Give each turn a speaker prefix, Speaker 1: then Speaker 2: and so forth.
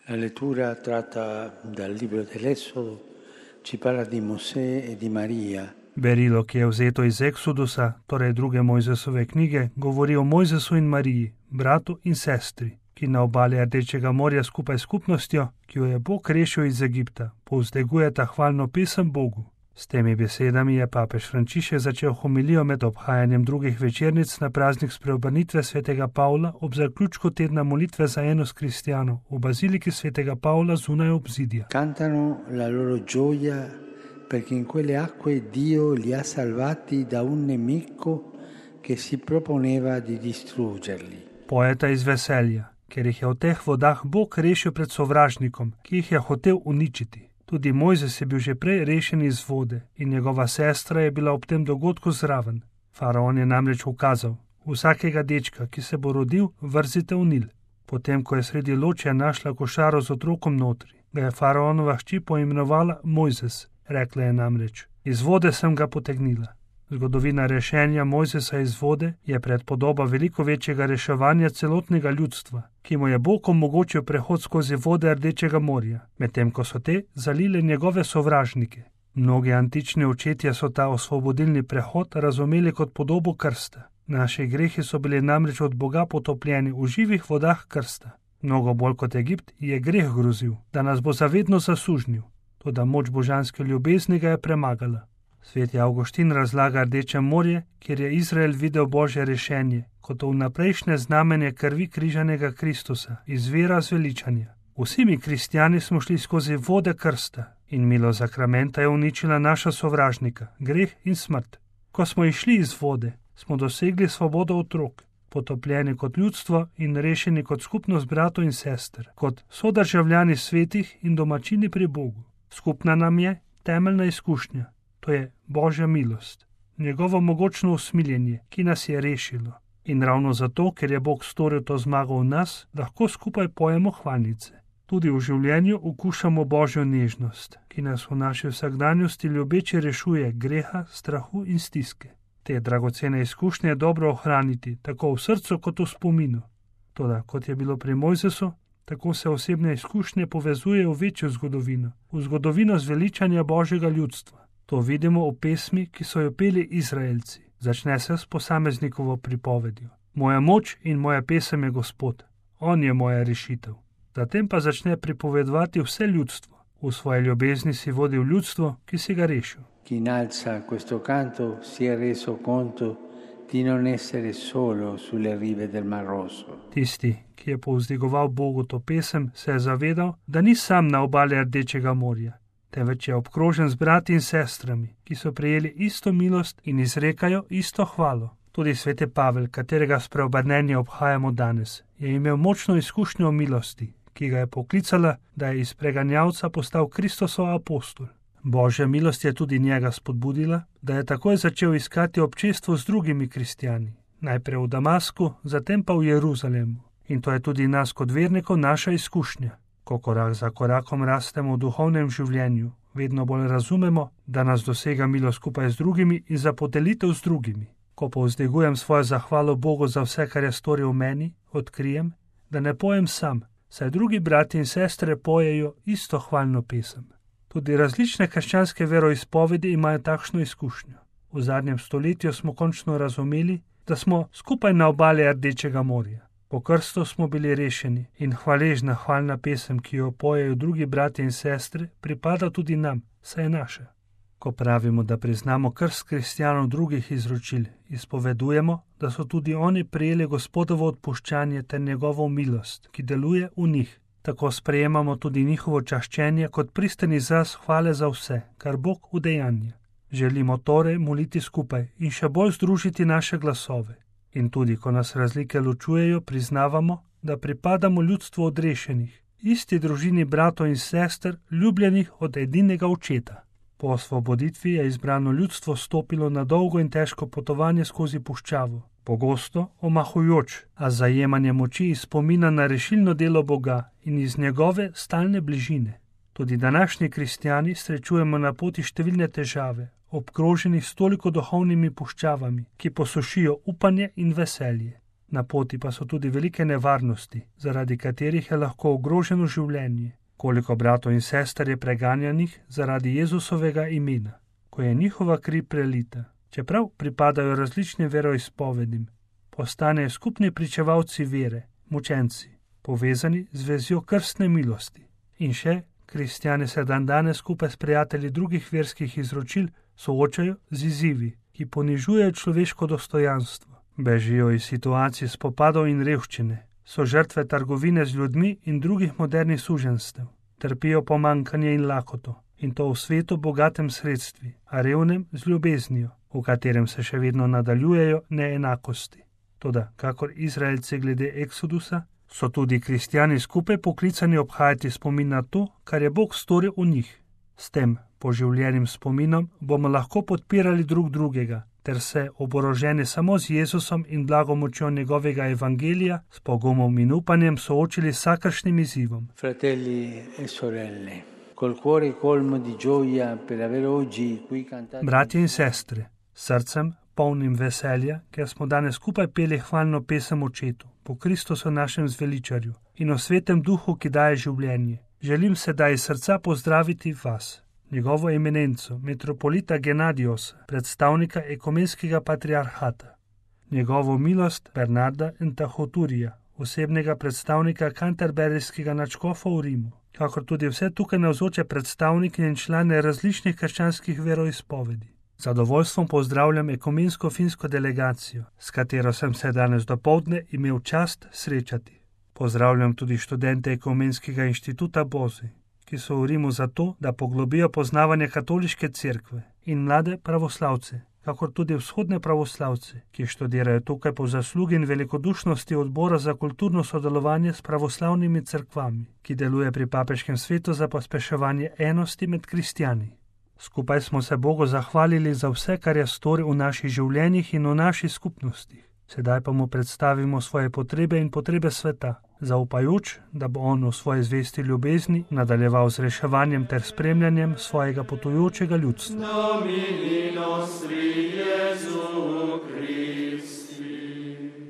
Speaker 1: La lettura tratta dal libro dell'Esodo ci parla di Mosè e di Marija.
Speaker 2: Berilo, ki je vzeto iz Eksodusa, torej druge Mojzesove knjige, govori o Mojzesu in Mariji, bratu in sestri, ki na obali Rdečega morja skupaj s skupnostjo, ki jo je Bog rešil iz Egipta, povzdegujeta hvalno pesem Bogu. S temi besedami je papež Frančišek začel homilijo med obhajanjem drugih večernic na praznik spreobrnitve svetega Pavla ob zaključku tedna molitve za enost kristijanov v baziliki svetega Pavla zunaj obzidja.
Speaker 1: Cantano la loro gioia perché in quelle acque Dio li ha salvati da un nemico che si proponeva di distruggerli.
Speaker 2: Poeta iz veselja, ker jih je v teh vodah Bog rešil pred sovražnikom, ki jih je hotel uničiti. Tudi Mojzes je bil že prej rešen iz vode in njegova sestra je bila ob tem dogodku zraven. Faraon je namreč ukazal: vsakega dečka, ki se bo rodil, vrzite v Nil. Potem, ko je sredi ločja našla košaro z otrokom notri, ga je faraonova hči poimenovala Mojzes. Rekla je namreč: iz vode sem ga potegnila. Zgodovina rešenja Mojzesa iz vode je predpodoba veliko večjega reševanja celotnega ljudstva, ki mu je Bog omogočil prehod skozi vode Rdečega morja, medtem ko so te zalile njegove sovražnike. Mnogi antični očetje so ta osvobodilni prehod razumeli kot podobo krsta. Naši grehi so bili namreč od Boga potopljeni v živih vodah krsta. Mnogo bolj kot Egipt je greh grozil, da nas bo zavedno zasužnil, toda moč božanske ljubezni ga je premagala. Sveti Avguštin razlaga Rdeče morje, kjer je Izrael videl Božje rešenje, kot vnaprejšnje znamenje krvi križanega Kristusa, izvira zveličanja. Vsi mi kristjani smo šli skozi vode krsta in milo zakramenta je uničila naša sovražnika, greh in smrt. Ko smo išli iz vode, smo dosegli svobodo otrok, potopljeni kot ljudstvo in rešeni kot skupnost bratov in sester, kot sodržavljani svetih in domačini pri Bogu. Skupna nam je temeljna izkušnja. To je Božja milost, njegovo mogočno usmiljenje, ki nas je rešilo. In ravno zato, ker je Bog storil to zmago v nas, lahko skupaj pojemo hvalnice. Tudi v življenju okušamo Božjo nežnost, ki nas v naši vsakdanjosti ljubeče rešuje greha, strahu in stiske. Te dragocene izkušnje je dobro ohraniti, tako v srcu kot v spominu. Toda, kot je bilo pri Mojzesu, tako se osebne izkušnje povezujejo v večjo zgodovino, v zgodovino zveličanja Božjega ljudstva. To vidimo v pesmi, ki so jo peli Izraelci. Začne se s posameznikovo pripovedjo. Moja moč in moja pesem je Gospod. On je moja rešitev. Zatem pa začne pripovedovati vse ljudstvo. V svoji ljubezni si vodil ljudstvo, ki si ga rešil.
Speaker 1: Chi innalza questo canto si è reso conto di non essere solo sulle rive del Mar Rosso.
Speaker 2: Tisti, ki je povzdigoval Bogu to pesem, se je zavedal, da ni sam na obali Rdečega morja, temveč je obkrožen z brati in sestrami, ki so prejeli isto milost in izrekajo isto hvalo. Tudi sveti Pavel, katerega spreobrnenje obhajamo danes, je imel močno izkušnjo o milosti, ki ga je poklicala, da je iz preganjavca postal Kristosov apostol. Božja milost je tudi njega spodbudila, da je takoj začel iskati občestvo z drugimi kristjani, najprej v Damasku, zatem pa v Jeruzalemu. In to je tudi nas kot vernikov naša izkušnja. Ko korak za korakom rastemo v duhovnem življenju, vedno bolj razumemo, da nas dosega milost skupaj z drugimi in za podelitev z drugimi. Ko povzdegujem svojo zahvalo Bogu za vse, kar je storil v meni, odkrijem, da ne pojem sam, saj drugi brati in sestre pojejo isto hvalno pesem. Tudi različne krščanske veroizpovedi imajo takšno izkušnjo. V zadnjem stoletju smo končno razumeli, da smo skupaj na obali Rdečega morja. Po krstu smo bili rešeni in hvaležna hvalna pesem, ki jo pojejo drugi brati in sestre, pripada tudi nam, saj je naša. Ko pravimo, da priznamo krst kristjanov drugih izročil, izpovedujemo, da so tudi oni prejeli Gospodovo odpuščanje ter njegovo milost, ki deluje v njih. Tako sprejemamo tudi njihovo čaščenje kot pristen izraz hvale za vse, kar Bog udejanja. Želimo torej moliti skupaj in še bolj združiti naše glasove. In tudi, ko nas razlike ločujejo, priznavamo, da pripadamo ljudstvu odrešenih, isti družini bratov in sester, ljubljenih od edinega očeta. Po osvoboditvi je izbrano ljudstvo stopilo na dolgo in težko potovanje skozi puščavo, pogosto omahujoč, a zajemanje moči iz spomina na rešilno delo Boga in iz njegove stalne bližine. Tudi današnji kristjani srečujemo na poti številne težave, obkroženi s toliko duhovnimi puščavami, ki posušijo upanje in veselje. Na poti pa so tudi velike nevarnosti, zaradi katerih je lahko ogroženo življenje. Koliko bratov in sester je preganjanih zaradi Jezusovega imena, ko je njihova kri prelita. Čeprav pripadajo različnim veroizpovedim, postanejo skupni pričevalci vere, mučenci, povezani z vezjo krstne milosti. In še, kristjani se dandanes skupaj s prijatelji drugih verskih izročil soočajo z izzivi, ki ponižujejo človeško dostojanstvo. Bežijo iz situacij spopadov in revščine, so žrtve trgovine z ljudmi in drugih modernih suženstev, trpijo pomanjkanje in lakoto, in to v svetu bogatem sredstvi, a revnem z ljubeznijo, v katerem se še vedno nadaljujejo neenakosti. Toda, kakor Izraelci glede Eksodusa, so tudi kristjani skupaj poklicani obhajati spomin na to, kar je Bog storil v njih. S tem poživljenim spominom bomo lahko podpirali drug drugega, ter se oboroženi samo z Jezusom in blagomočjo njegovega evangelija, s pogumom in upanjem soočili s vsakršnim izzivom.
Speaker 1: Fratelli e sorelle, col cuore colmo di gioia per aver oggi qui cantato.
Speaker 2: Bratje in sestre, srcem polnim veselja, ker smo danes skupaj peli hvalno pesem Očetu, po Kristusu našem zveličarju in o Svetem Duhu, ki daje življenje. Želim sedaj iz srca pozdraviti vas, njegovo eminenco, metropolita Genadiosa, predstavnika ekumenskega patriarhata, njegovo milost Bernarda Entahoturija, osebnega predstavnika kanterberijskega nadškofa v Rimu, kakor tudi vse tukaj navzoče predstavnike in člane različnih krščanskih veroizpovedi. Zadovoljstvom pozdravljam ekumensko-finsko delegacijo, s katero sem se danes dopoldne imel čast srečati. Pozdravljam tudi študente Ekumenskega inštituta Bozi, ki so v Rimu zato, da poglobijo poznavanje katoliške cerkve, in mlade pravoslavce, kakor tudi vzhodne pravoslavce, ki študirajo tukaj po zaslugi in velikodušnosti Odbora za kulturno sodelovanje s pravoslavnimi cerkvami, ki deluje pri Papeškem svetu za pospeševanje enosti med kristjani. Skupaj smo se Bogu zahvalili za vse, kar je storil v naših življenjih in v naših skupnostih. Sedaj pa mu predstavimo svoje potrebe in potrebe sveta, zaupajoč, da bo on v svoji zvesti ljubezni nadaljeval z reševanjem ter spremljanjem svojega potujočega ljudstva.